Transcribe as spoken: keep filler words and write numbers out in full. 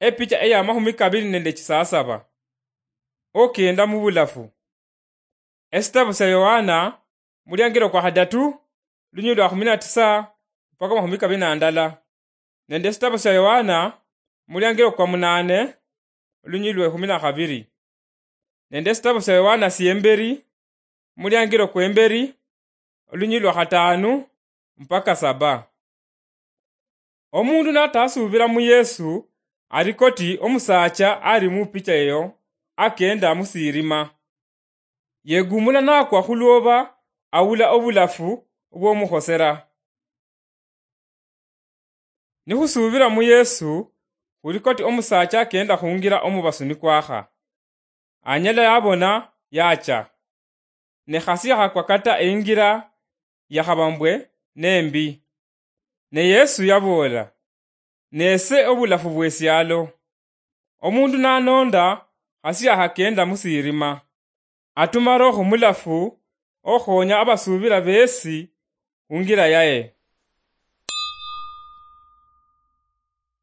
Epicha eya mahumi kabiri nende chisasaba. Okenda mubulafu. Esitabu sya Yohana, muliangiro kwa hadatu, lunyili lwa kumi na tisa mpaka mahumi kabiri na ndala. Nende esitabu sya Yohana, muliangiro kwa munane, lunyili lwe kumi na kabiri. Nende esitabu sya Yohana syemberi, muliangiro kwemberi, olunyili lwa khatanu mpaka saba. Omundu natasuubira mu Yesu, ali koti omusaacha ali mu picha eyo, akenda musirima. Yegumula nakwa khulwoba, awula obulafu bwomukhosera. Nikhusuubira mu Yesu, khuli koti omusaacha akenda khungira omubasu nikwakha. Anyala yabona, yacha. Ne khasi yakhakwa kata eingira, yakhaba mbwe nembi. Ne Yesu yaboola, "Nese obulafu bwesialo. Omundu nanonda, khasi yakhakenda musirima. Atuma Roho Mulafu okhonya abasuubira besi khungira yaye."